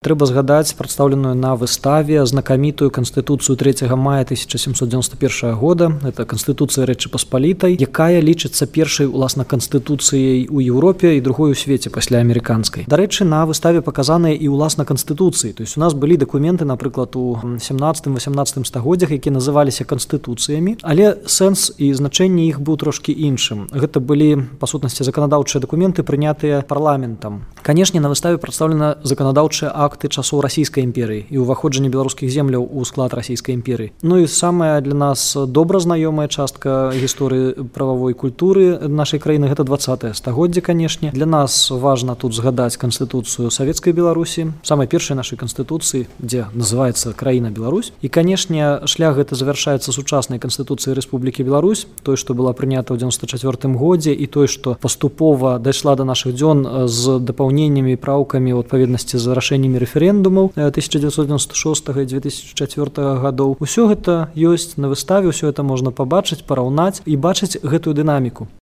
Трэба згадаць прадстаўленую на выставе знакамітую канстытуцыю 3 мая 1791 года. Это канстытуцыя Рэчы Паспалітай, якая лічыцца першай уласна канстытуцыяй у Еўропе і другой у свеце пасля амерыканскай. Дарэчы, на выставе паказаныя і ўласна канстытуцыі. То есть у нас былі дакументы, напрыклад, у 17-18 стагоддзях, якія называліся канстытуцыямі, але сэнс і значэнне іх быў трошкі іншым. Гэта былі, па сутнасці, заканадаўчыя дакументы, прынятыя парламентам. Канешне, на выставе прадстаўлена заканадаўчыя акты часоў расійскай імперыі і ўваходжанне беларускіх земляў у склад расійскай імперыі. Ну і самая для нас добра знаёмая частка гісторыі прававой культуры нашай краіны гэта 20-е стагоддзе, канешне. Для нас важна тут згадаць канстытуцыю Савецкай Беларусі, самай першай нашай канстытуцыі, дзе называецца краіна Беларусь. І, канешне, шлях гэта завяршаецца сучаснай канстытуцыі Рэспублікі Беларусь, той, што была прынята ў 94 годзе і той, што паступова дайшла да нашых дзён з дапаўненнямі і праўкамі ў адпаведнасці з рашэннямі рэферэндумаў 1996 і 2004 гадоў. Усё гэта ёсць на выставе, усё гэта можна пабачыць, параўнаць і бачыць гэтую дынаміку.